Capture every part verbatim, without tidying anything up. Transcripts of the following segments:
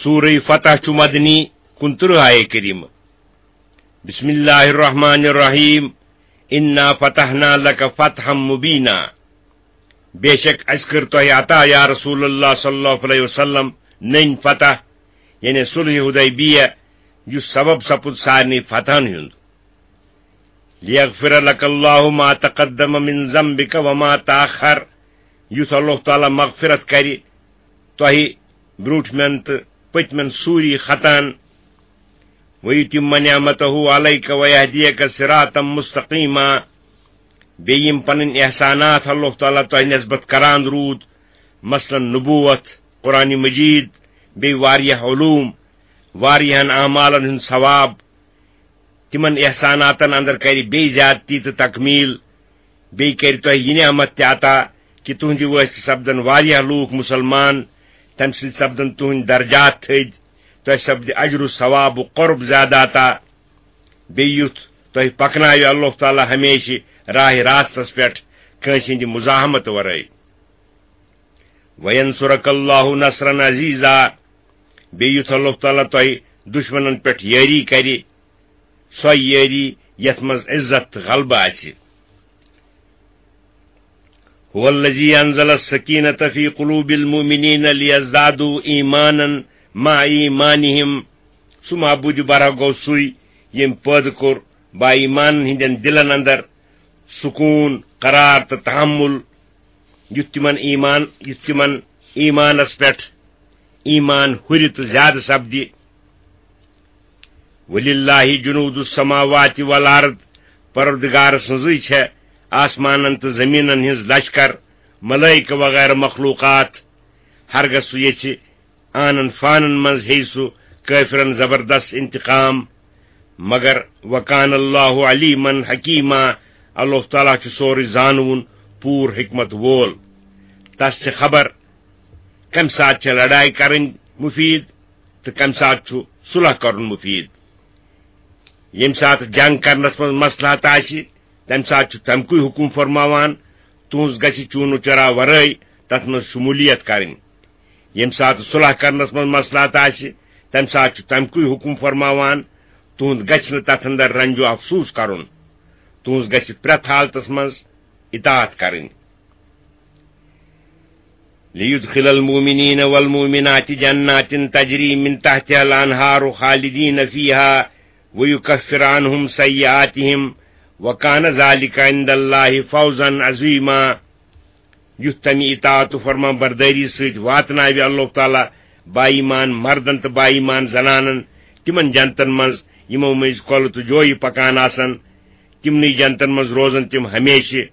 سورہ فتح چھُ مدنی، کُنترٕہ آیے کریمہ۔ بسم اللہ الرحمن الرحیم۔ انا فتحنا لک فتحا مبینا۔ بے شک اسہِ کٔر تۄہہِ عطا یا رسول اللہ صلی اللہ علیہ وسلم نٔنۍ فتح، یعنی صلح حدیبیہ، یُس سبب سپُد سارنٕے فتحن ہُنٛد۔ لیغفر لک اللہ ما تقدم من ذنبک وما تاخر، یُتھ اللہ تعالیٰ مغفرت کرِ تۄہہِ برونٛٹھمٮ۪ن تہٕ پٔتمٮ۪ن سوری خطاہن۔ ویتم نعمتہ علیک ویہدیک صراطا مستقیما۔ بیٚیہِ یِم پنٕنۍ احسانات اللہ تعالیٰ تۄہہِ نسبت کران روٗد، مثلاً نبوت، قرآن مجید، بیٚیہِ واریاہ علوم، واریاہن اعمالن ہُنٛد ثواب، تِمن احساناتن اندر کرِ بیٚیہِ زیادتی تہٕ تکمیل۔ بیٚیہِ کرِ تۄہہِ یہِ نعمت تہِ عطا کہِ تُہنٛدِ وٲسہِ سپدن واریاہ لوٗکھ مُسلمان، تمہِ سۭتۍ سپدن تُہنٛدۍ درجات تھٔدۍ، تۄہہِ سپدِ اجر و ثواب و قرب زیادٕ عطا۔ بیٚیہِ یُتھ تۄہہِ پکناوِ اللہ تعالیٰ ہمیشہِ راہِ راستس پٮ۪ٹھ کٲنٛسہِ ہٕنٛدِ مزاحمت ورٲے۔ وینصرک اللہ نصرا عزیزا، بیٚیہِ یُتھ اللہ تعالیٰ تۄہہِ دُشمنن پٮ۪ٹھ یٲری کرِ، سۄ یٲری یتھ منٛز عزت تہٕ غلبہٕ آسہِ۔ هو الذي انزل السكينة في قلوب المؤمنين ليزدادوا ایمانا مع ایمانهم۔ سُہ معبود برحق گوٚو سُے، ییٚمۍ پٲدٕ کوٚر با ایمانن ہٕنٛدٮ۪ن دِلن اندر سکوٗن، قرار تہٕ تحمل، یُتھ تِمن ایمان، یُتھ تِمن ایمانس پٮ۪ٹھ ایمان ہُرِ تہٕ زیادٕ سپدِ۔ وللہ جنود السماوات والارض، پروردگار سٕنٛزٕے چھےٚ آسمانن تہٕ زمینن ہٕنٛز لشکر، ملائکہ وغیرہ مخلوقات۔ ہرگاہ سُہ یژھِ آنن فانن منٛز ہیٚیہِ سُہ کٲفرن زبردست انتقام۔ مگر وکان اللہ علیما حکیما، اللہ تعالیٰ چھُ سورُے زانوُن، پوٗرٕ حکمت وول۔ تس چھِ خبر کمہِ ساتہٕ چھےٚ لڑایہِ کرٕنۍ مفید تہٕ کمہِ ساتہٕ چھُ صلح کرُن مفید۔ ییٚمہِ ساتہٕ جنگ کرنس منٛز مصلحت آسہِ، تمہِ ساتہٕ چھُ تمہِ کُے حکم فرماوان، تُہنٛز گژھِ چوٗنہٕ چرا ورٲے تتھ منٛز شمولیت کرٕنۍ۔ ییٚمہِ ساتہٕ صلح کرنس منٛز مصلحت آسہِ، تمہِ ساتہٕ چھُ تمہِ کُے حکم فرماوان، تُہنٛد گژھِ نہٕ تتھ اندر رنج و افسوس کرُن، تُہنٛز گژھِ پرٛٮ۪تھ حالتس منٛز اطاعت کرٕنۍ۔ لیدخل المؤمنین والمؤمنات جنات تجری من تحتها الانہار خالدین فیہا ویکفر عنہم سیئاتہم وکان ذالک عند اللہ فوزا عظیما۔ یُتھ تمہِ اطاعت و فرمان بردٲری سۭتۍ واتناوِ اللہ تعالیٰ با ایمان مردن تہٕ با ایمان زنانن تِمن جنتن منٛز، یِمو مٔنٛزۍ کۄلہٕ تہٕ جویہِ پکان آسن، تِمنٕے جنتن منٛز روزن تِم ہمیشہِ۔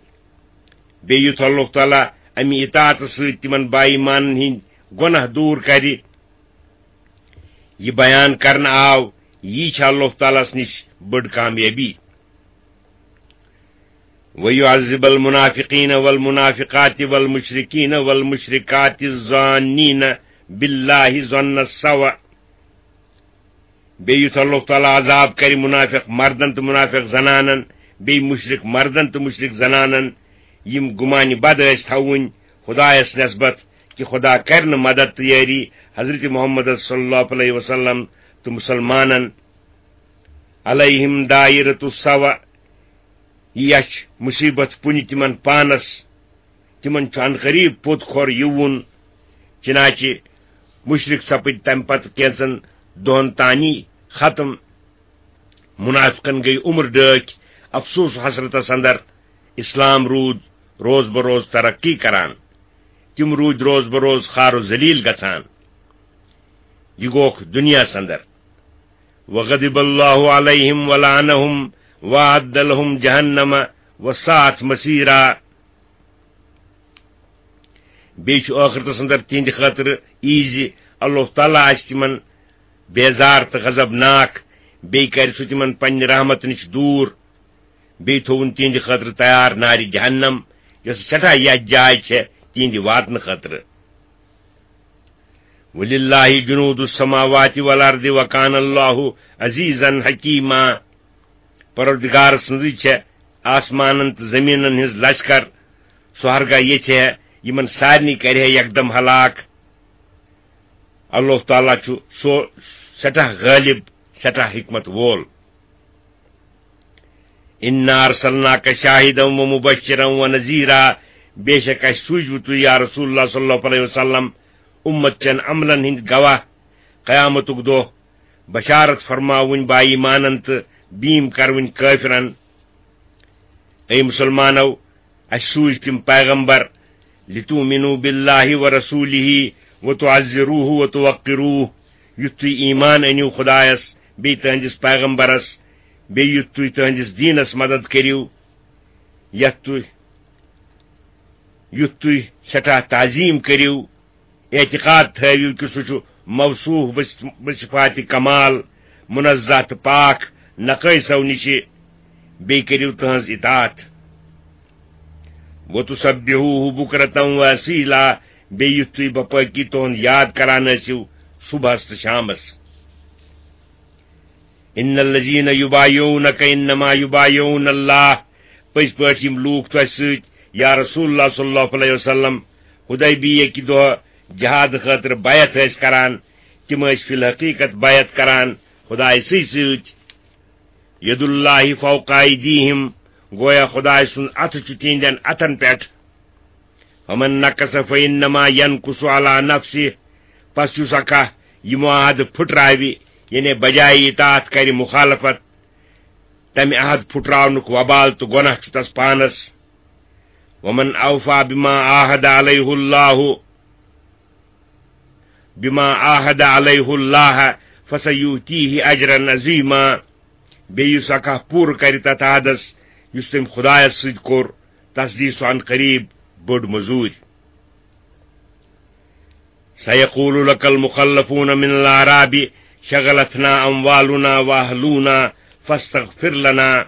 بیٚیہِ یُتھ اللہ تعالیٰ امہِ اطاعتہٕ سۭتۍ تِمن با ایمانن ہٕنٛدۍ گۄناہ دوٗر کرِ۔ یہِ بیان کرنہٕ آو، یی چھِ اللہ تعالیٰ ہس نِش بٔڑ کامیٲبی۔ وَيُعَذِّبَ الْمُنَافِقِينَ وَالْمُنَافِقَاتِ وَالْمُشْرِكِينَ وَالْمُشْرِكَاتِ الظَّانِّينَ بِاللَّهِ ظَنَّ السَّوْءِ۔ بیٚیہِ یُتھ اللہ تعالیٰ عذاب کرِ منافق مردن تہٕ منافق زنانن، بیٚیہِ مشرک مردن تہٕ مشرک زنانن، یِم گُمانہِ بد ٲسۍ تھاوٕنۍ خدایس نسبت کہِ خدا کرِ نہٕ مدد تہٕ یٲری حضرت محمد صلی اللہ علیہ وسلم تہٕ مسلمانن۔ علیہم دائرۃ السوء، یہِ یَچھ مصیبت پُنہِ تِمن پانس، تِمن چھُ عنقریب پوٚت کھۄر یِوُن۔ چنانچہ مشرک سپٕدۍ تمہِ پتہٕ کینژن دۄہن تانی ختم۔ منافقن گٔیہِ عمر ڈٲکھۍ افسوس و حسرتس اندر۔ اسلام روٗد روز بہ روز ترقی کران، تِم روٗدۍ روز بہ روز خوار و ذلیل گژھان۔ یہِ گوکھ دُنیاہس اندر۔ وغضب اللہ علیہم ولعنہم وأعد لہم جہنم وساءت مصیرا۔ بیٚیہِ چھُ ٲخرتس اندر تِہنٛدِ خٲطرٕ یی زِ اللہ تعالیٰ آسہِ تِمن بیزار تہٕ غضبناک، بیٚیہِ کرِ سُہ تِمن پننہِ رحمتہٕ نِش دوٗر، بیٚیہِ تھووُن تِہنٛدِ خٲطرٕ تیار نارِ جہنم، یۄس سٮ۪ٹھاہ یتھ جاے چھےٚ تِہنٛدِ واتنہٕ خٲطرٕ۔ وللہ جنود السماوات والارض وکان اللہ عزیزا حکیما۔ پروردگار سٕنٛزٕے چھےٚ آسمانن تہٕ زمینن ہٕنٛز لشکر، سُہ ہرگاہ یژھِ ہے یِمن سارنٕے کرِ ہے یکدم ہلاک۔ اللہ تعالیٰ چھُ سُہ سٮ۪ٹھاہ غٲلِب، سٮ۪ٹھاہ حِکمت وول۔ اِنَّا أَرْسَلْنَاكَ شَاهِدًا وَمُبَشِّرًا وَنَذِيرًا، بے شک اَسہِ سوٗزوٕ تُہۍ یا رسول اللہ صلی اللہ علیہ وسلم اُمت چٮ۪ن عملن ہٕنٛدۍ گواہ قیامتُک دۄہ، بشارت فرماوٕنۍ با ایمانن تہٕ بیٖم کرٕوٕنۍ کٲفرن۔ اے مسلمانو، اَسہِ سوٗزۍ تِم پیغمبر، لِتُؤْمِنُوا بِاللَّهِ وَرَسُولِهِ وَتُعَزِّرُوهُ وَتُوَقِّرُوهُ، یُتھ تُہۍ ایمان أنِو خدایس، بیٚیہِ تُہنٛدِس پیغمبرس، بیٚیہِ یُتھ تُہۍ تُہنٛدِس دیٖنس مدد کٔرِو، یتھ تُہۍ، یُتھ تُہۍ سٮ۪ٹھاہ تعظیٖم کٔرِو، اعتقاد تھٲوِو کہِ سُہ چھُ موصوف بص-، بصفات کمال، منزہ تہٕ پاک، نقٲیصو نِشہِ، بیٚیہِ کٔرِو تُہنٛز اطاعت۔ وَتُسَبِّحُوهُ بُكْرَةً وَأَصِيلًا، بیٚیہِ یُتھ تُہۍ باپٲکی تُہنٛد یاد کران ٲسِو صبحس تہٕ شامس۔ اِنَّ الَّذِينَ يُبَايِعُونَكَ إِنَّمَا يُبَايِعُونَ اللَّهَ، پٔزۍ پٲٹھۍ یِم لوٗکھ تۄہہِ سۭتۍ یا رسول اللہ صلی اللہ علیہ وسلم حدیبیہ کہِ دۄہ جہاد خٲطرٕ بیعت ٲسۍ کران، تِم ٲسۍ فی الحقیقت بیعت کران خدایہِ سٕے سۭتۍ۔ یَدُ اللَّهِ فَوْقَ أَيْدِيهِمْ، گویا خدایہِ سُنٛد اَتھٕ چھُ تِہنٛدٮ۪ن اَتھن پٮ۪ٹھ۔ فَمَن نَكَثَ فَإِنَّمَا يَنكُثُ عَلَى نَفْسِهِ، پس یُس اکھا یہِ معاہدٕ پھُٹراوِ، یعنی بجایہِ اطاعت کرِ مخالفت، تمہِ عہد پھُٹراونُک وبال تہٕ گۄناہ چھُ تس پانس۔ وَمَنْ أَوْفَىٰ بِمَا عَاهَدَ عَلَيْهُ اللَّهُ، بِمَا عَاهَدَ عَلَيْهُ اللَّهَ فَسَيُؤْتِيهِ أَجْرًا عَظِيمًا۔ بیٚیہِ یُس اکھا پوٗرٕ کرِ تتھ عہدس یُس تٔمۍ خدایس سۭتۍ کوٚر، تس دِیہِ سُہ عن قریب بٔڑ مٔزوٗرۍ۔ سَيَقُولُ لَكَ الْمُخَلَّفُونَ مِنَ الْأَعْرَابِ شَغَلَتْنَا أَمْوَالُنَا وَأَهْلُونَا فَاسْتَغْفِرْ لَنَا۔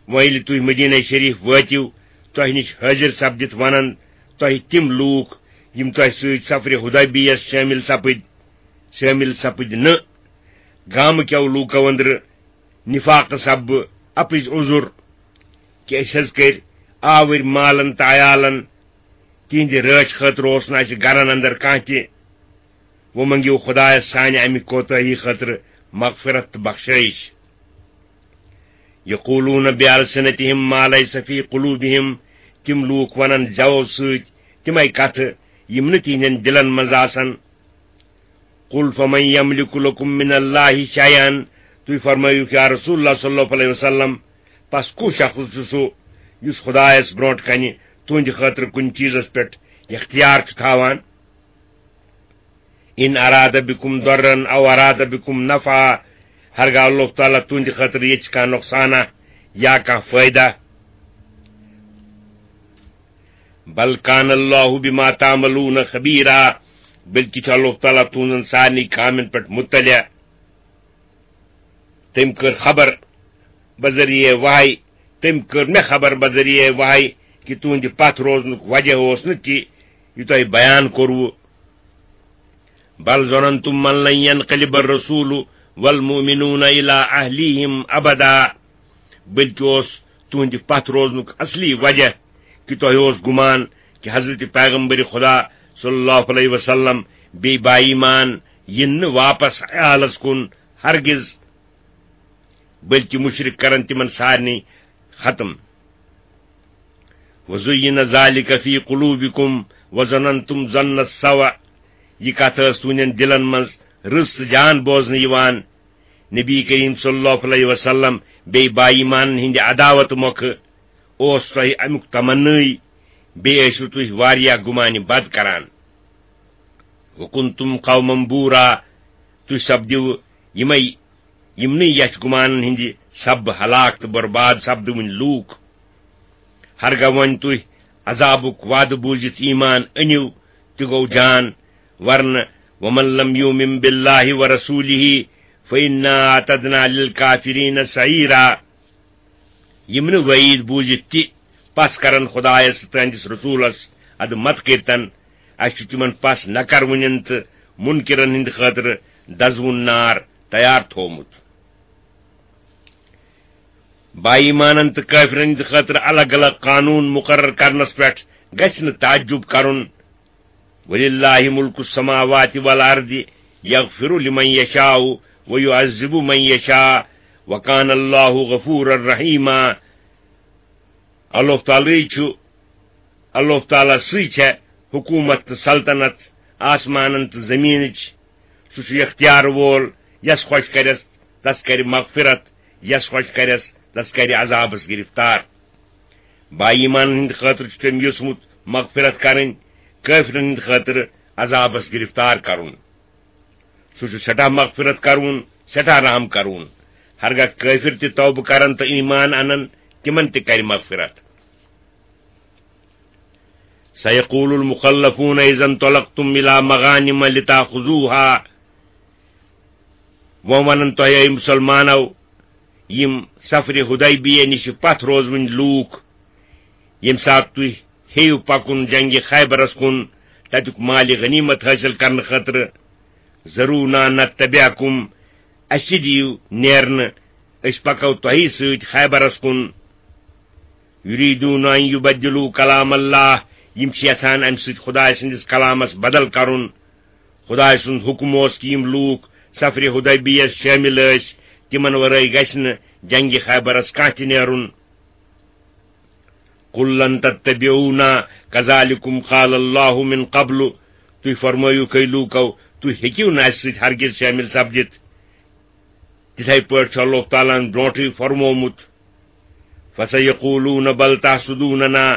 وۄنۍ ییٚلہِ تُہۍ مدینہ شریف وٲتِو، تۄہہِ نِش حٲضِر سپدِتھ وَنَن تۄہہِ تِم لوٗکھ، یِم تۄہہِ سۭتۍ سفرِ حدیبیہس شٲمِل سپٕدۍ، شٲمِل سپٕدۍ نہٕ۔ گامہٕ کٮ۪و لوٗکو أنٛدرٕ نفاقہٕ سببہٕ اَپٕزۍ عذر کہِ أسۍ حظ کٔرۍ آوٕرۍ مالن تہٕ عیالن، تِہنٛدِ رٲچھ خٲطرٕ اوس نہٕ اَسہِ گرن اندر کانٛہہ تہِ۔ وۄنۍ منٛگِو خدایس سانہِ اَمہِ کوتٲہی خٲطرٕ مغفرت تہٕ بخشٲیِش۔ یقولون بألسنتهم ما ليس في قلوبهم، تِم لوٗکھ وَنَن زٮ۪و سۭتۍ تِمَے کَتھٕ یِم نہٕ تِہنٛدٮ۪ن دِلَن منٛز آسَن۔ قل فمن يملك لكم من الله شيئا، تُہۍ فرمٲیِو یا رسول اللہ صلی اللہ علیہ وسلم، پس کُس شخص چھُ سُہ یُس خدایس برونٛٹھ کنہِ تُہنٛدِ خٲطرٕ کُنہِ چیٖزس پٮ۪ٹھ اختیار چھُ تھاوان؟ ان اراد بكم ضرا او اراد بكم نفعا، ہرگاہ اللہ تعالیٰ تُہنٛدِ خٲطرٕ یژھِ کانٛہہ نۄقصانہ یا کانٛہہ فٲیدہ۔ بل كان الله بما تعملون خبيرا، بلکہِ چھُ اللہ تعالیٰ تُہنٛزن سارنٕے کامٮ۪ن پٮ۪ٹھ مطلع۔ تٔمۍ کٔر خبر بذریعہ وحی، تٔمۍ کٔر مےٚ خبر بذریعہ وحی کہِ تُہنٛدِ پتھ روزنُک وجہ اوس نہٕ تہِ یہِ تۄہہِ بیان کوٚروٕ۔ بل ظننتم من لن ينقلب الرسول والمؤمنون الى اهليهم ابدا، بلکہِ اوس تُہنٛدِ پتھ روزنُک اصلی وجہ کہِ تۄہہِ اوس گُمان کہِ حضرت پیغمبر خدا صلی اللہ علیہ وسلم بیٚیہِ با ایمان یِن نہٕ واپس عیالس کُن ہرگز، بلکہِ مشرک کرن تِمن سارنٕے ختم۔ وزین ذلك في قلوبكم وظننتم ظن السوء، یہِ کتھ ٲس تُہنٛدٮ۪ن دِلن منٛز رٕژ تہٕ جان بوزنہٕ یِوان۔ نبی کریم صلی اللہ علیہ وسلم بیٚیہِ با ایمانن ہٕنٛدِ عداوت مۄکھٕ اوس تۄہہِ امیُک تمنٲے، بیٚیہِ ٲسِو تُہۍ واریاہ گُمانہِ بد کران۔ وکنتم قوما بورا، تُہۍ سپدِو یِمے، یِمنٕے یَتھ گُمانن ہٕنٛدِ سببہٕ ہلاک تہٕ برباد سپدٕوٕنۍ لوٗکھ۔ ہرگاہ وۄنۍ تُہۍ عذابُک وعدٕ بوٗزِتھ ایمان أنِو، تہِ گوٚو جان، ورنہٕ ومن لم يؤمن بالله ورسوله فإنا أعتدنا للكافرين سعيرا۔ یِم نہٕ وعیٖد بوٗزِتھ تہِ پس کرن خدایس تہٕ تہنٛدِس رسوٗلس ادٕ مت کٔرتن، اسہِ چھُ تِمن پس نہ کروٕنٮ۪ن تہٕ منکرن ہٕنٛدِ خٲطرٕ دزوُن نار تیار تھوومُت۔ با ایمانن تہٕ کٲفرن ہٕنٛدِ خٲطرٕ الگ الگ قانوٗن مُقرر کرنس پٮ۪ٹھ گژھِ نہٕ تعجب کرُن۔ وللہ ملک السماوات والارض یغفر لمن یشاء ویعذب من یشاء وکان اللہ غفورا رحیما۔ اللہ تعالیٰ چھُ، اللہ تعالیٰ سٕے چھےٚ حکومت تہٕ سلطنت آسمانن تہٕ زمینٕچ۔ سُہ چھُ اختیار وول، یس خۄش کرٮ۪س تس کرِ مغفرت، یس خۄش کرٮ۪س تس کرِ عذابس گرفتار۔ با ایمانن ہٕنٛدِ خٲطرٕ چھُ تٔمۍ یوٚژمُت مغفرت کرٕنۍ، کٲفرن ہٕنٛدِ خٲطرٕ عذابس گرفتار کرُن۔ سُہ چھُ سٮ۪ٹھاہ مغفرت کرون، سٮ۪ٹھاہ رحم کرون۔ ہرگاہ کٲفر تہِ توبہٕ کرن تہٕ ایمان انن، تِمن تہِ کرِ مغفرت۔ سیقول المخلفون اذا انطلقتم الی مغانم لتاخذوها۔ وۄنۍ ونن تۄہہِ، اے مسلمانو، یِم سفرِ حدیبیہ نِش پتھ روزوٕنۍ لوٗکھ، ییٚمہِ ساتہٕ تُہۍ ہیٚیِو پکُن جنگِ خیبرس کُن، تتیُک مالِ غنیمت حٲصِل کرنہٕ خٲطرٕ، ذرونا نتبعکم، اسہِ تہِ دِیِو نیرنہٕ، أسۍ پکو تۄہی سۭتۍ خیبرس کُن۔ یریدون ان یبدلوا کلام اللہ، یِم چھِ یژھان امہِ سۭتۍ خدایہِ سٕنٛدِس کلامس بدل کرُن۔ خدایہِ سُنٛد حُکم اوس کہِ یِم لوٗکھ سفرِ حدیبیہس شٲمِل ٲسۍ، تِمن ورٲے گژھِ نہٕ جنگِ خیبرس کانٛہہ تہِ نیرُن۔ قل لن تتبعونا کذلکم قال اللہ من قبل، تُہۍ فرمٲیِو کٔہۍ لوٗکو، تُہۍ ہیٚکِو نہٕ اَسہِ سۭتۍ ہرگز شٲمِل سپدِتھ۔ تِتھے پٲٹھۍ چھُ اللہ تعالیٰ ہن برونٹھٕے فرمومُت، فسیقولون بل تحسدوننا،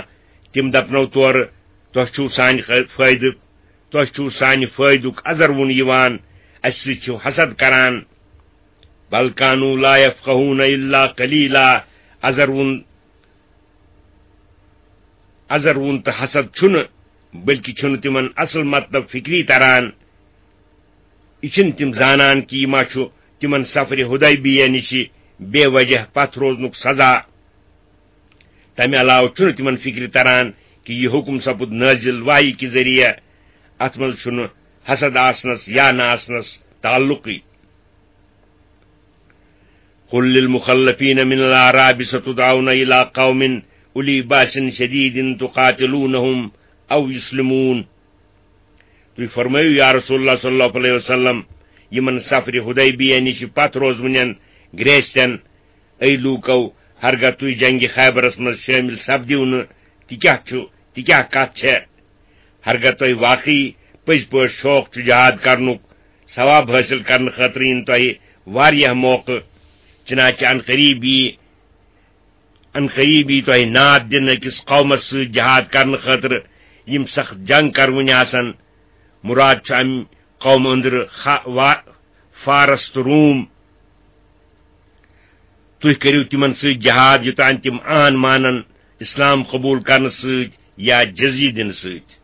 تِم دپنو تورٕ، تۄہہِ چھُو سانہِ خٲ-، فٲیدٕ، تۄہہِ چھُو سانہِ فٲیدُک ازر وُن یِوان، اَسہِ سۭتۍ چھِو حسد کران۔ بل کانوا لا یفقہون الا قلیلا، ازر وُن، ازر وُن تہٕ حسد چھُنہٕ، بلکہِ چھُنہٕ تِمن اصل مطلب فکری تران۔ یہِ چھِنہٕ تِم زانان کہِ یہِ ما چھُ تِمن سفرِ حدیبیہ نِشہِ بے وجہ پتھ روزنُک سزا۔ تمہِ علاوٕ چھُنہٕ تِمن فکرِ تران کہِ یہِ حُکم سپُد نٲزِل وحی کہِ ذٔریعہٕ، اتھ منٛز چھُنہٕ حسد آسنس یا نہ آسنس تعلقٕے۔ قل للمخلفین من الاعراب ستدعون الی قوم اولی باس شدید تقاتلونهم او یسلمون۔ تُہۍ فرمٲیِو یا رسول اللہ صلی اللہ علیہ وسلم، یِمن سفرِ حدیبیہ نِش پتھ روزوٕنٮ۪ن گرٛیستٮ۪ن، اے لوٗکو، ہرگاہ تُہۍ جنگِ خیبرس منٛز شٲمِل سپدِو نہٕ، تہِ کیٛاہ چھُ، تہِ کیٛاہ کتھ چھےٚ؟ ہرگاہ تۄہہِ واقعی پٔزۍ پٲٹھۍ شوق چھُ جہاد کرنُک، ثواب حٲصِل کرنہٕ خٲطرٕ یِن تۄہہِ واریاہ موقعہٕ، چنانچہ ان قریب یی، ان قریب یی تۄہہِ ناد دِنہٕ أکِس قومس سۭتۍ جہاد کرنہٕ خٲطرٕ، یِم سخت جنگ کرونہِ آسن۔ مراد چھُ امہِ قومہٕ أنٛدرٕ خا-، وا-، فارس تہٕ روم۔ تُہۍ کٔرِو تِمن سۭتۍ جہاد، یوٚتام تِم آن مانن اسلام قبول کرنہٕ سۭتۍ یا جزیہ دِنہٕ سۭتۍ۔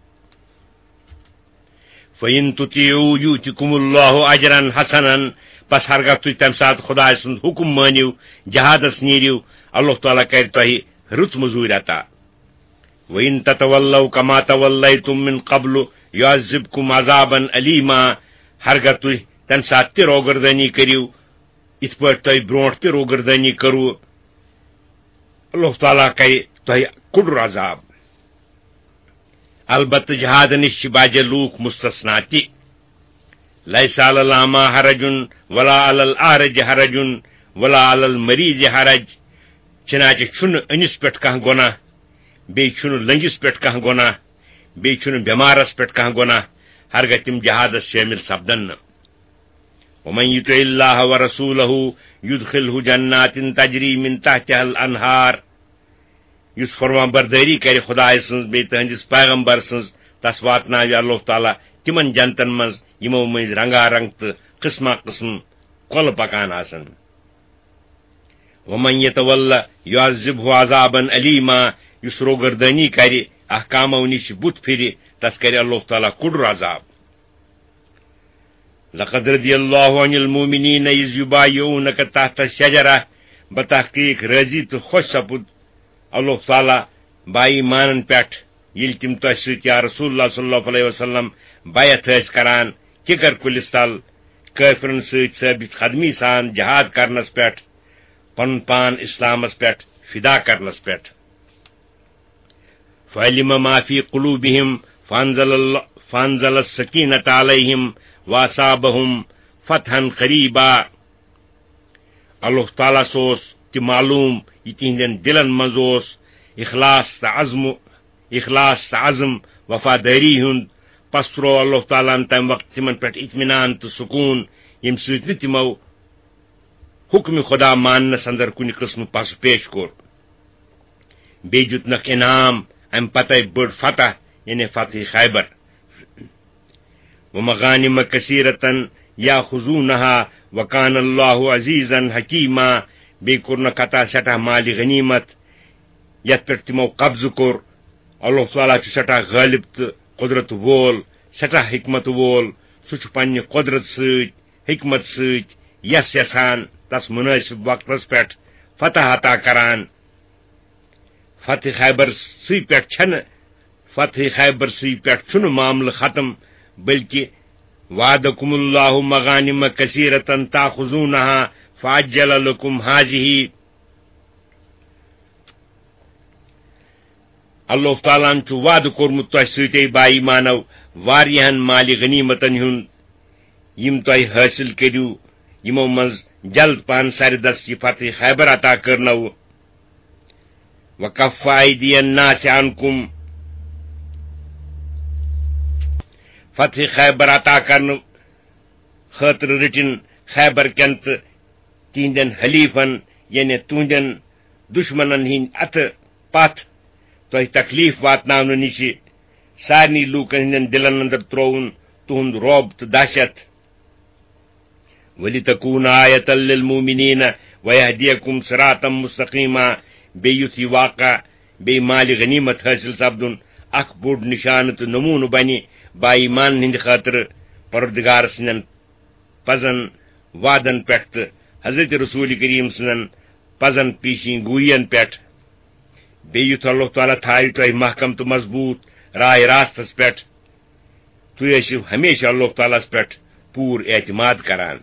فَإِن تُطِیعُوا یُؤْتِکُمُ اللَّهُ أَجْرًا حَسَنًا، پس ہرگاہ تُہۍ تمہِ ساتہٕ خدایہِ سُنٛد حُکم مٲنِو، جہادس نیٖرِو، اللہ تعالیٰ کرِ تۄہہِ رٕژ مٔزوٗرۍ عطا۔ وَإِن تَتَوَلَّوْا كَمَا تَوَلَّیْتُمْ مِنْ قَبْلُ يُعَذِّبْكُمْ عَذَابًا أَلِیمًا، ہرگاہ تُہۍ تمہِ ساتہٕ تہِ روگردٲنی کٔرِو، یِتھ پٲٹھۍ تۄہہِ برونٛٹھ تہِ روگردٲنی کٔروٕ، اللہ تعالیٰ کرِ تۄہہِ کُڈُر عذاب۔ البتہ جہادٕ نِش چھِ بعضے لوٗکھ مستثنا تہِ۔ لیس علی الاعمی حرج ولا علی الاعرج حرج ولا علی المریض حرج۔ چنانچہ چھُنہٕ أنِس پٮ۪ٹھ کانٛہہ گۄناہ، بیٚیہِ چھُنہٕ لٔنٛگِس پٮ۪ٹھ کانٛہہ گۄناہ، بیٚیہِ چھُنہٕ بٮ۪مارس پٮ۪ٹھ کانٛہہ گۄناہ، ہرگاہ تِم جہادس شٲمِل سپدن نہٕ۔ ومن یطع اللہ ورسولہ یدخلہ جنات تجری من تحتها الانہار۔ یُس فرمان بردٲری کرِ خدایہِ سٕنٛز بیٚیہِ تٕہنٛدِس پیغمبر سٕنٛز، تس واتناوِ اللہ تعالیٰ تِمن جنتن منٛز، یِمو مٔنٛزۍ رنگا رنگ تہٕ قٕسمہ قٕسم کۄلہٕ پکان آسن۔ ومن یتول یعذبہ عذابا الیما، یُس روگردٲنی کرِ، احکامو نِش بُتھ پھرِ، تس کرِ اللہ تعالیٰ کُڈُر عذاب۔ لقد رضی اللہ عن المؤمنین اذ یبایعونک تحت الشجرہ، بتحقیق راضی تہٕ خۄش سپُد اللہ تعالیٰ با ایمانن پٮ۪ٹھ، ییٚلہِ تِم تۄہہِ سۭتۍ یا رسول اللہ صلی اللہ علیہ وسلم بیعت ٲسۍ کران کِکر کُلِس تل، کٲفرن سۭتۍ ثٲبت قدمی سان جہاد کرنس پٮ۪ٹھ، پنُن پان اسلامس پٮ۪ٹھ فدا کرنس پٮ۪ٹھ۔ فعلم ما فی قلوبہم فانزل اللہ، فانزل السکینۃ علیہم واثابہم فتحا قریبا۔ اللہ تعالیٰ ہس اوس تہِ معلوم، یہِ تِہنٛدٮ۪ن دِلن منٛز اوس اخلاص تہٕ عزم، اخلاص تہٕ عزم وفادٲری ہُنٛد۔ پس ترٛوو اللہ تعالیٰ ہن تمہِ وقتہٕ تِمن پٮ۪ٹھ اطمینان تہٕ سکوٗن، ییٚمہِ سۭتۍ نہٕ تِمو حکم خدا ماننس اندر کُنہِ قٕسمہٕ پسہٕ پیش کوٚر۔ بیٚیہِ دیُتنکھ انعام امہِ پتے بٔڑ فتح، یعنی فتح خیبر۔ ومغانم کثیرة یاخذونها وکان اللہ عزیزا حکیما۔ بیٚیہِ کوٚرنکھ عطا سٮ۪ٹھاہ مالِ غنیمت، یتھ پٮ۪ٹھ تِمو قبضہٕ کوٚر۔ اللہ تعالیٰ چھُ سٮ۪ٹھاہ غٲلب تہٕ قدرت وول، سٮ۪ٹھاہ حکمت وول۔ سُہ چھُ پننہِ قدرت سۭتۍ، حکمت سۭتۍ، یس یژھان تس مناسب وقتس پٮ۪ٹھ فتح عطا کران۔ فتح خیبر سٕے پٮ۪ٹھ چھنہٕ، فتح خیبر سٕے پٮ۪ٹھ چھُنہٕ معاملہٕ ختم، بلکہ وعدکم اللہ مغانم کثیرة تاخذونها فعجل لکم هذه۔ اللہ تعالیٰ ہن چھُ وعدٕ کوٚرمُت تۄہہِ سۭتۍ، اے با ایمانو، واریاہن مالِ غنیمتن ہُنٛد، یِم تۄہہِ حٲصِل کٔرِو، یِمو منٛز جلد پہن سرِ دست یہِ فتح خیبر عطا کٔرنو۔ وکف ایدی الناس عنکم۔ فتح خیبر عطا کرنہٕ خٲطرٕ رٔٹِن خیبر کٮ۪ن تہٕ تِہنٛدٮ۪ن حلیفن، یعنی تُہنٛدٮ۪ن دشمنن ہٕنٛدۍ اَتھٕ پتھ تۄہہِ تکلیف واتناونہٕ نِشہِ۔ سارنٕے لوٗکن ہٕنٛدٮ۪ن دِلن اندر ترٛووُن تُہنٛد رعب تہٕ دہشت۔ وَلِتَكُونَ آيَةً لِلْمُؤْمِنِينَ وَيَهْدِيَكُمْ صِرَاطًا مُسْتَقِيمًا۔ بیٚیہِ یُتھ یہِ واقعہ، بیٚیہِ مالِ غنیمت حٲصِل سپدُن، اکھ بوٚڑ نِشانہٕ تہٕ نموٗنہٕ بنہِ با ایمانن ہٕنٛدِ خٲطرٕ پروردگار سٕنٛدٮ۪ن پزن وعدن پٮ۪ٹھ تہٕ حضرت رسول کریم سٕنٛزن پزن پیشین گوئین پٮ۪ٹھ۔ بیٚیہِ یُتھ اللہ تعالیٰ تھاوِ تۄہہِ محکم تہٕ مضبوٗط راے راستس پٮ۪ٹھ، تُہۍ ٲسِو ہمیشہِ اللہ تعالیٰ ہس پٮ۪ٹھ پوٗرٕ اعتماد کران۔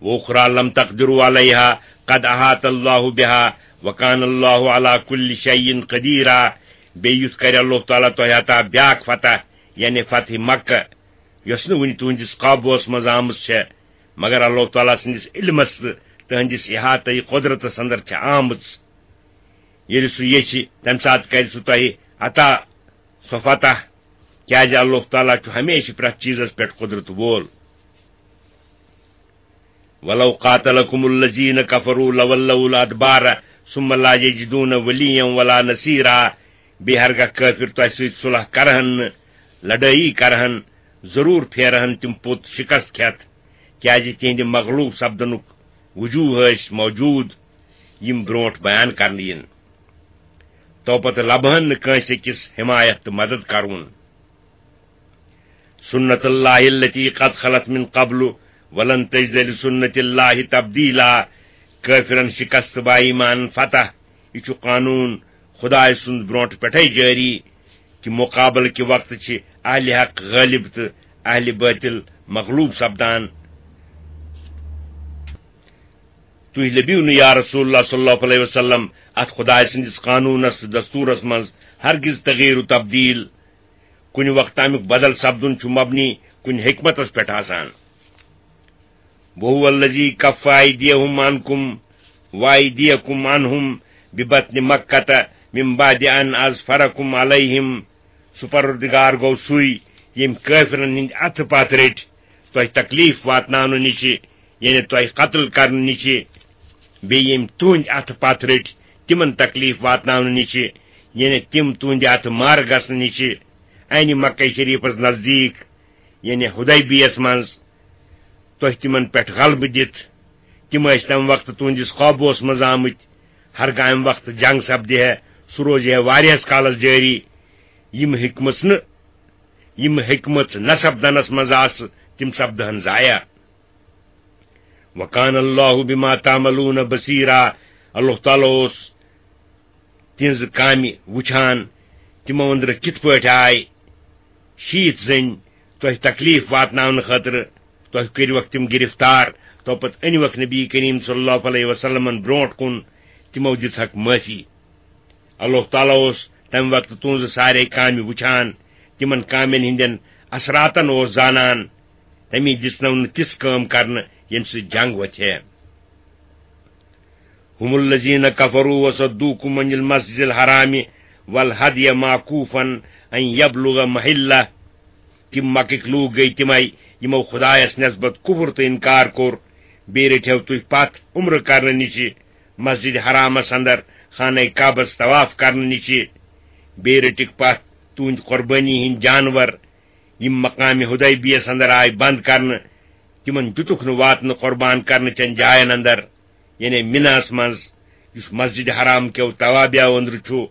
وَأُخْرَىٰ لَمْ تَقْدِرُوا عَلَيْهَا قَدْ أَحَاطَ اللَّهُ بِهَا وَكَانَ اللَّهُ عَلَىٰ كُلِّ شَيْءٍ قَدِيرًا۔ بیٚیہِ یُتھ کرِ اللہ تعالیٰ تۄہہِ عطا بیاکھ فتح، یعنی فتح مکہ، یۄس نہٕ وُنہِ تُہنٛدِس قابوٗوس منٛز آمٕژ چھےٚ، مگر اللہ تعالیٰ سٕنٛدِس علمس تہٕ تُہنٛدِس احاطہ قدرتس اندر چھےٚ آمٕژ۔ ییٚلہِ سُہ یژھِ، تمہِ ساتہٕ کرِ سُہ تۄہہِ عطا سۄ فتح، کیازِ اللہ تعالیٰ چھُ ہمیشہِ پرٛٮ۪تھ چیٖزس پٮ۪ٹھ قدرت وول۔ وَلَوْ قَاتَلَكُمُ الَّذِينَ كَفَرُوا لَوَلَّوُا الْأَدْبَارَ ثُمَّ لَا يَجِدُونَ وَلِيًّا وَلَا نَصِيرًا۔ بیٚیہِ ہرگاہ کٲفِر تۄہہِ سۭتۍ صلح کرہن نہٕ، لڑٲیی کرہن، ضروٗر پھیرہن تِم پوٚت شکست کھٮ۪تھ، کیازِ تِہنٛدِ مغلوب سپدنُک وجوہ ٲسۍ موجود، یِم برونٹھ بیان کرنہٕ یِن۔ تو پتہٕ لبہن نہٕ کٲنٛسہِ أکِس حمایت تہٕ مدد کرُن۔ سُنَّتَ اللَّهِ الَّتِي قَدْ خَلَتْ مِنْ قَبْلُ وَلَنْ تَجِدَ لِسُنَّتِ اللَّهِ تَبْدِيلًا۔ کٲفرن شکست، با ایمانن فتح، یہِ چھُ قانون خدایہِ سُنٛد برونٹھ پٮ۪ٹھے جٲری، کہِ مقابلہٕ کہِ وقتہٕ چھِ اہلِ حق غٲلب تہٕ اہلِ باطل مغلوب سپدان۔ تُہۍ لٔبِو نہٕ، یا رسول اللہ صلی اللہ علیہ وسلم، اتھ خدایہِ سٕنٛدِس قانوٗنس تہٕ دستوٗرس منٛز ہرگز تغییر و تبدیل۔ کُنہِ وقتہٕ امیُک بدل سپدُن چھُ مبنی کُنہِ حکمتس پٮ۪ٹھ آسان۔ وَهُوَ الَّذِي كَفَّ أَيْدِيَهُمْ عَنْكُمْ وَأَيْدِيَكُمْ عَنْهُمْ بِبَطْنِ مَكَّةَ مِنْ بَعْدِ أَنْ أَظْفَرَكُمْ عَلَيْهِمْ۔ سُہ پروردگار گوٚو سُے، ییٚمۍ کٲفرن ہٕنٛدۍ اَتھٕ پتھ رٔٹۍ تۄہہِ تکلیف واتناونہٕ نِشہِ، یعنی تۄہہِ قتل کرنہٕ نِشہِ، بیٚیہِ ییٚمۍ تُہٕنٛدۍ اَتھٕ پتھ رٔٹۍ تِمن تکلیف واتناونہٕ نِشہِ، یعنی تِم تُہٕنٛدِ اَتھٕ مارٕ گژھنہٕ نِشہِ، اَنہِ مکہ شریٖفس نزدیٖک، یعنی حدیبیس منٛز، تۄہہِ تِمن پٮ۪ٹھ غلبہٕ دِتھ۔ تِم ٲسۍ تَمہِ وقتہٕ تُہٕنٛدِس قوبوٗہس منٛز آمٕتۍ۔ ہرگاہ اَمہِ وقتہٕ جنگ سپدِ ہے، سُہ روزِ ہے واریاہس کالس جٲری۔ یِم ہیٚکمٕژ نہٕ، یِم ہیٚکمٕژ نہ سپدنس منٛز آسہٕ، تِم سپدہن ضایع۔ وَكَانَ اللَّهُ بِمَا تَعْمَلُونَ بَصِيرًا۔ اللہ تعالیٰ اوس تِہنٛزٕ کامہِ وُچھان، تِمو أنٛدرٕ کِتھ پٲٹھۍ آے شیٖتھ زٔنۍ تۄہہِ تکلیف واتناونہٕ خٲطرٕ، تۄہہِ کٔرِوکھ تِم گرفتار، تو پتہٕ أنِوکھ نبی کریم صلی اللہ علیہ وسلمن برونٛٹھ کُن، تِمو دِژہکھ معٲفی۔ اللہ تعالیٰ اوس تمہِ وقتہٕ تُہنٛزٕ سارے کامہِ وُچھان، یِمن کامٮ۪ن ہٕنٛدٮ۪ن اثراتن اوس زانان، تٔمی دِژنو نہٕ تِژھ کٲم کرنہٕ، ییٚمہِ سۭتۍ جنگ وۄتھِ ہے۔ هم الذين كفروا وصدوكم عن المسجد الحرام والهدي معكوفا أن يبلغ محله۔ تِم مکٕکۍ لوٗکھ گٔے تِمے، یِمو خدایس نسبت کفر تہٕ انکار کوٚر۔ بیٚیہِ رٔٹِو تُہۍ پتھ عمرٕ کرنہٕ نِشہِ، مسجد حرامس اندر خانہ کعبس طواف کرنہٕ نِشہِ۔ بیٚیہِ رٔٹِکھ پتھ تُہنٛدۍ قربٲنی ہٕنٛدۍ جانور، یِم مقام حدیبیس اندر آے بند کرنہٕ، تِمن دِتُکھ نہٕ واتنہٕ قربان کرنہٕ چٮ۪ن جاین اندر، یعنی مناہس منٛز، یُس مسجد حرام کیو توابعو أنٛدرٕ چھُ۔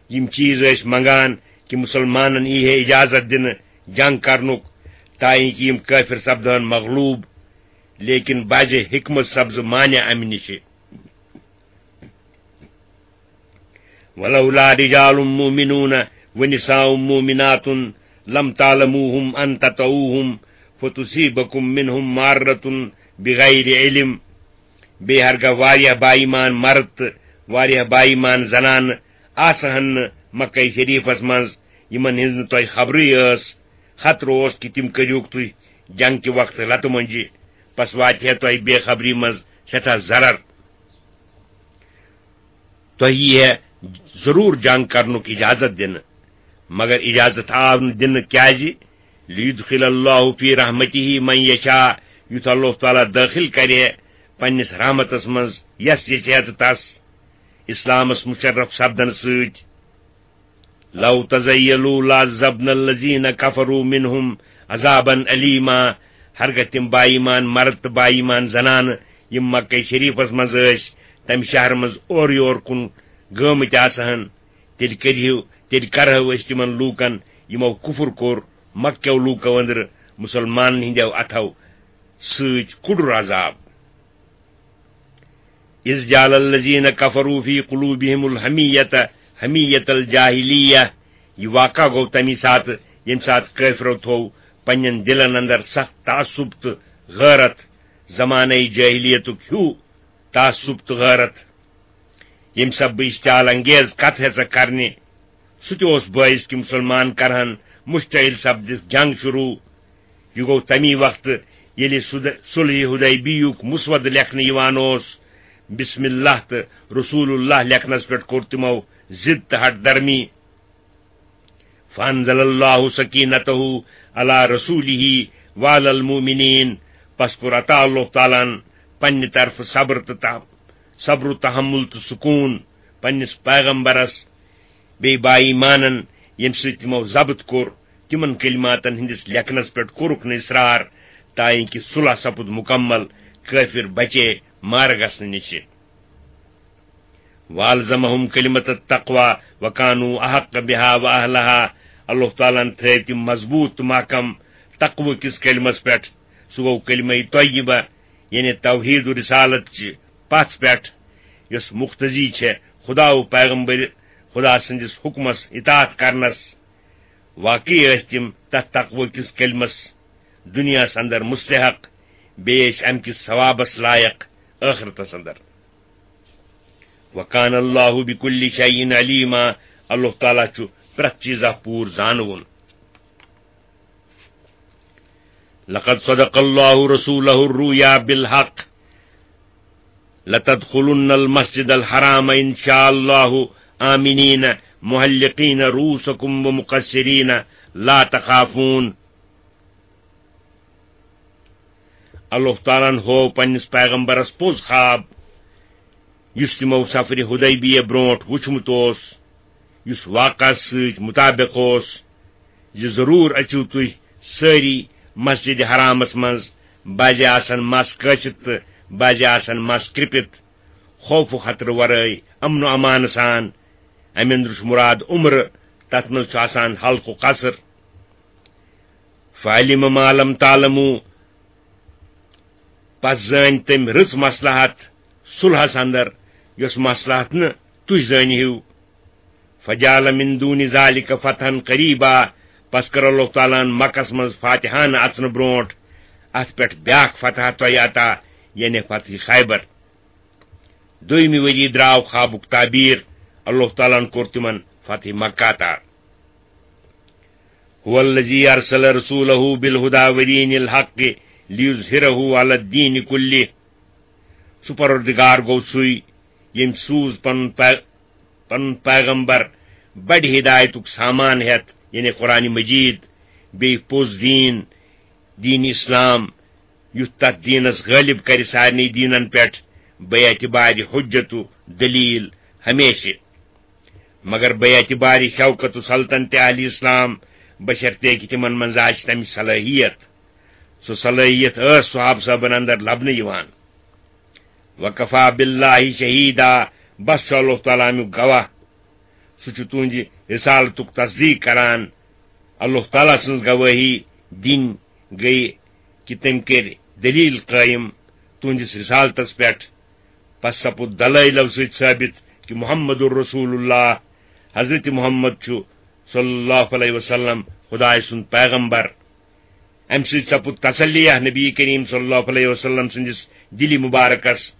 یِم چیٖز ٲسۍ منگان کہِ مُسلمانن یی ہے اجازت دِنہٕ جنگ کرنُک، تاکہِ یِم کٲفر سپدہن مغلوب، لیکن بعض حکمت سپزٕ مانع امہِ نِشہِ۔ ولولا رجال مؤمنون ونساء مؤمنات لم تعلموهم ان تطؤوهم فتصيبكم منهم معرة بغير علم۔ بیٚیہِ ہرگاہ واریاہ با ایمان مرد تہٕ واریاہ با ایمان زنانہٕ آسہٕ ہن نہٕ مکہ شریفس منٛز، یِمن ہٕنٛز نہٕ تۄہہِ خبرٕے ٲس، خطرٕ اوس کہِ تِم کٔرِہُکھ تُہۍ جنگ کہِ وقتہٕ لتہٕ مۄنجہِ، پس واتہِ ہے تۄہہِ بے خبری منٛز سٮ۪ٹھاہ ضرر۔ تۄہہِ یی ہے ضروٗر جنگ کرنُک اجازت دِنہٕ، مگر اجازت آو نہٕ دِنہٕ۔ کیازِ؟ لیدخل اللہ فی رحمتہ من یشاء، یُتھ اللہ تعالیٰ دٲخل کرِ ہے پننِس رحمتس منٛز یس یژھِ ہے تہٕ تس، اسلامس مشرف سپدنہٕ سۭتۍ۔ لو تزیلوا لعذبنا الذین کفروا منہم عذابا علیما۔ ہرگاہ تِم با ایمان مرد تہٕ با ایمان زنانہٕ، یِم مکہ شریفس منٛز ٲسۍ، تمہِ شہرٕ منٛز اورٕ یور کُن گٲمٕتۍ آسہٕ ہن، تیٚلہِ کٔرِہو، تیٚلہِ کرہو أسۍ تِمن لوٗکن، یِمو کفر کوٚر مکہ کیو لوٗکو أنٛدرٕ، مُسلمانن ہٕنٛدیو اتھو سۭتۍ کُڈُر عذاب۔ اذ جعل الذین کفروا فی قلوبہم الحمیۃ حمیۃ الجاہلیہ۔ یہِ واقعہ گوٚو تمی ساتہٕ، ییٚمہِ ساتہٕ کٲفرو تھوو پننٮ۪ن دِلن اندر سخت تعصب تہٕ غٲرت، زمانَے جٲہلیتُک ہیوٗ تعصب تہٕ غٲرت۔ ییٚمہِ سببہٕ اشتعال انگیز کتھ ہیژکھ کرنہِ، سُہ تہِ اوس باعث کہِ مُسلمان کرہن مشتعل سپدِتھ جنگ شروع۔ یہِ گوٚو تمی وقتہٕ، ییٚلہِ سُد-، صلح حدیبیہُک مسودٕ لیکھنہٕ یِوان اوس، بسم اللہ تہٕ رسول اللہ لیکھنس پٮ۪ٹھ کوٚر تِمو ضد تہٕ ہٹ درمی۔ فانزل اللہ سکینتہ علی رسولہ وعلی المؤمنین۔ پس کوٚر عطا اللہ تعالیٰ ہن پننہِ طرفہٕ صبر تہٕ تح-، صبر و تحمل تہٕ سکون پننِس پیغمبرس، بیٚیہِ با ایمانن، ییٚمہِ سۭتۍ تِمو ضبط کوٚر، تِمن کلماتن ہٕنٛدِس لیکھنس پٮ۪ٹھ کوٚرُکھ نہٕ اصرار، تاکہِ صلح سپُد مکمل، کٲفر بچے مارٕ گژھنہٕ نِشہِ۔ والزمہم کلمۃ التقوی وکانوا احق بها واہلها۔ اللہ تعالیٰ ہن تھٲوۍ تِم مضبوط تہٕ محکم تقوی کِس کلمس پٮ۪ٹھ۔ سُہ گوٚو کلمہ طیبہ، یعنی توحید و رسالت چہِ پژھ پٮ۪ٹھ، یۄس مقتضی چھےٚ خدا و پیغمبر خدا سٕنٛدِس حکمس اطاعت کرنس۔ واقعی ٲسۍ تِم تتھ تقوی کِس کلمس دنیاہس اندر مستحق، بیٚیہِ ٲسۍ امہِ کِس ثوابس لایق ٲخرتس اندر۔ وکان اللہ بکل شیء علیما۔ اللہ تعالیٰ چھُ پرٛٮ۪تھ چیٖزا پوٗرٕ زانوُن۔ لقد صدق اللہ رسولہ الرؤیا بالحق لتدخلن المسجد الحرام ان شاء اللہ آمنین محلقین رؤوسکم ومقصرین لا تخافون۔ اللہ تعالیٰ ہن ہوو پننِس پیغمبرس پوٚز خواب، یُس تِمو سفرِ حدیبیہ برونٹھ وُچھمُت اوس، یُس واقعس سۭتۍ مطابق اوس زِ ضروٗر أژِو تُہۍ سٲری مسجد حرامس منٛز، بعضے آسن مس کٲسِتھ تہٕ بعضے آسن مس کرٛپِتھ، خوف و خطرٕ ورٲے، امن و امان سان۔ امہِ اندرٕ چھُ مراد عمرٕ، تتھ منٛز چھُ آسان حلق و قصر۔ فعلم ما لم تعلموا، پس زٲنۍ تٔمۍ رٕژ مصلحت صلحس اندر، یۄس مصلحت نہٕ تُہۍ زٲنۍ ہِو۔ فجعل من دون ذلك فتحا قریبا، پس کٔر اللہ تعالیٰ ہن مکس منٛز فاتحانہٕ اژنہٕ برونٹھ اتھ پٮ۪ٹھ بیاکھ فتح تۄہہِ عطا، یعنی فتح خیبر۔ دوٚیمہِ ؤری درٛاو خوابُک تعبیٖر، اللہ تعالیٰ ہن کوٚر تِمن فتح مکہ عطا۔ هو الذي أرسل رسوله بالهدى ودين الحق ليظهره على الدين كله۔ سُہ پروردگار گوٚو سُے، ییٚمۍ سوٗز پنُن پے-، پنُن پیغمبر بڑِ ہدایتُک سامان ہٮ۪تھ، یعنی قرآن مجید، بیٚیہِ پوٚز دیٖن، دیٖن اسلام، یُتھ تتھ دیٖنس غٲلب کرِ سارنٕے دیٖنن پٮ۪ٹھ، بے اعتبارِ حجت و دلیل ہمیشہِ۔ مگر بے اعتبارِ شوکت و سلطنت اہل اسلام، بشرطیکہِ تِمن منٛز آسہِ تمِچ صلٲحیت۔ سۄ صلٲحیت ٲس صحابہٕ صٲبن اندر لبنہٕ یِوان۔ وکفا باللہ شہیدا، بس چھُ اللہ تعالیٰ امیُک گواہ۔ سُہ چھُ تُہنٛدِ رسالتُک تصدیق کران۔ اللہ تعالیٰ سٕنٛز گوٲہی دِنۍ گٔیہِ کہِ تٔمۍ کٔرۍ دٔلیٖل قٲیِم تُہنٛدِس رسالتس پٮ۪ٹھ۔ پس سپُد دلٲیلو سۭتۍ ثٲبت کہِ محمد رسول اللہ، حضرت محمد چھُ صلی اللہ علیہ وسلم خدائے سُنٛد پیغمبر۔ امہِ سۭتۍ سپُد تسلیہ نبی کریم صلی اللہ علیہ وسلم سٕنٛدِس دِلہِ مبارکس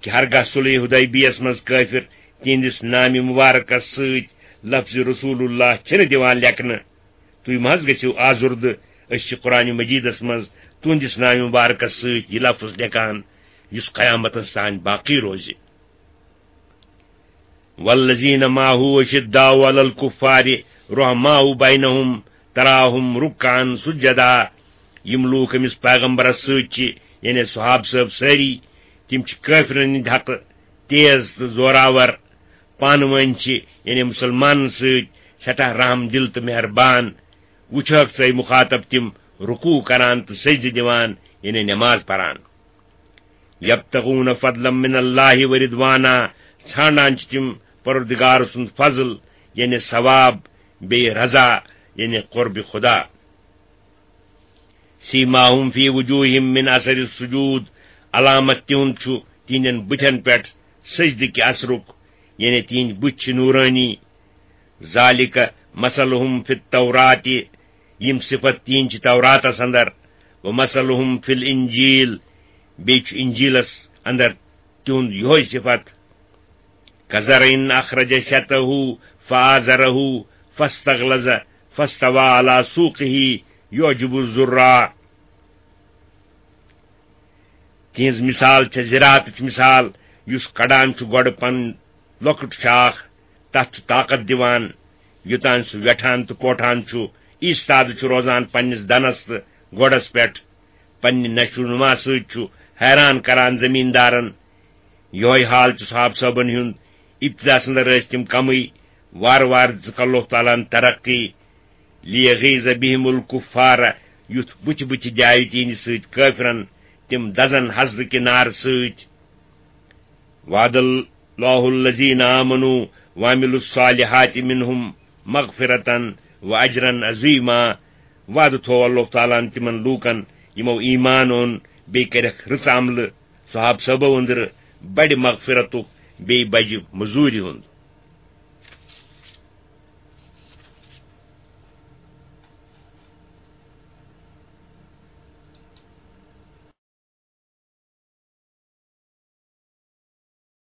کہِ ہرگاہ صلح حدیبیس منٛز کٲفر تِہنٛدِس نامہِ مبارکس سۭتۍ لفظ رسول اللہ چھِنہٕ دِوان لیکھنہٕ، تُہۍ مہ حظ گٔژھِو آزُردٕ، أسۍ چھِ قرآن مجیدس منٛز تُہنٛدِس نامہِ مبارکس سۭتۍ یہِ لفظ لیکھان، یُس قیامتس تام باقی روزِ۔ والذین معه اشداء علی الکفار رحماء بینہم تراہم رکعا سجدا۔ یِم لوٗکھ أمِس پیغمبرس سۭتۍ چھِ، یعنی صحابہٕ صٲب سٲری، تِم چھِ کٲفرن ہٕنٛدِ حقہٕ تیز تہٕ زوراور، پانہٕ وٲنۍ چھِ، یعنی مُسلمانن سۭتۍ، سٮ۪ٹھاہ رحم دِل تہٕ مہربان۔ وٕچھہکھ ژٕ، اے مُخاطب، تِم رکوع کران تہٕ سجدٕ دِوان، یعنی نماز پران۔ یبتغون فضلا من اللہ ورضوانا، ژھانڈان چھِ تِم پروردگار سُنٛد فضل، یعنی ثواب، بیٚیہِ رضا، یعنی قرب خدا۔ سیماہم فی وجوہہم من اثر السجود، علامت تِہُنٛد چھُ تِہنٛدٮ۪ن بُتھٮ۪ن پٮ۪ٹھ سجدٕ کہِ اثرُک، یعنی تِہنٛدۍ بُتھۍ چھِ نورانی۔ ذالک مثلہم فی التورات، یِم صفت تِہنٛدۍ چھِ توراتس اندر، و مثلہم فی الانجیل، بیٚیہِ چھُ انجیلس اندر تِہُنٛد یِہوٚے صفت۔ کزرع اخرج شطأہ فآزرہ فاستغلظ فاستوی علی سوقہ یعجب الزراع۔ تِہنٛز مثال چھےٚ زراعتٕچ مثال، یُس کڑان چھُ گۄڈٕ پنُن لۄکُٹ شاخ، تتھ چھُ طاقت دِوان، یوٚتام سُہ ویٹھان تہٕ پوٹھان چھُ، ایستادٕ چھُ روزان پننِس دنس تہٕ گۄڈس پٮ۪ٹھ۔ پننہِ نشو نما سۭتۍ چھُ حیران کران زمیٖندارن۔ یِہوٚے حال چھُ صحابہٕ صٲبن ہُنٛد۔ ابتداہس اندر ٲسۍ تِم کمٕے، وارٕ وارٕ دِژٕکھ اللہ تعالیٰ ہن ترقی۔ لیغیظ بہم الکفار، یُتھ بُتھِ بُتھِ جایہِ تِہنٛدِ سۭتۍ کٲفرن، تِم دزن حسدٕ کہِ نارٕ سۭتۍ۔ وعد اللہ الذین آمنوا وعملوا الصالحات منہم مغفرة واجرا عظیما۔ وعدٕ تھوو اللہ تعالیٰ ہن تِمن لوٗکن، یِمو ایمان اوٚن، بیٚیہِ کٔرکھ رٕژ عملہٕ، صحابہٕ صٲبو أنٛدرٕ بڑِ مغفرتُک، بیٚیہِ بجہِ مٔزوٗرِ ہُنٛد۔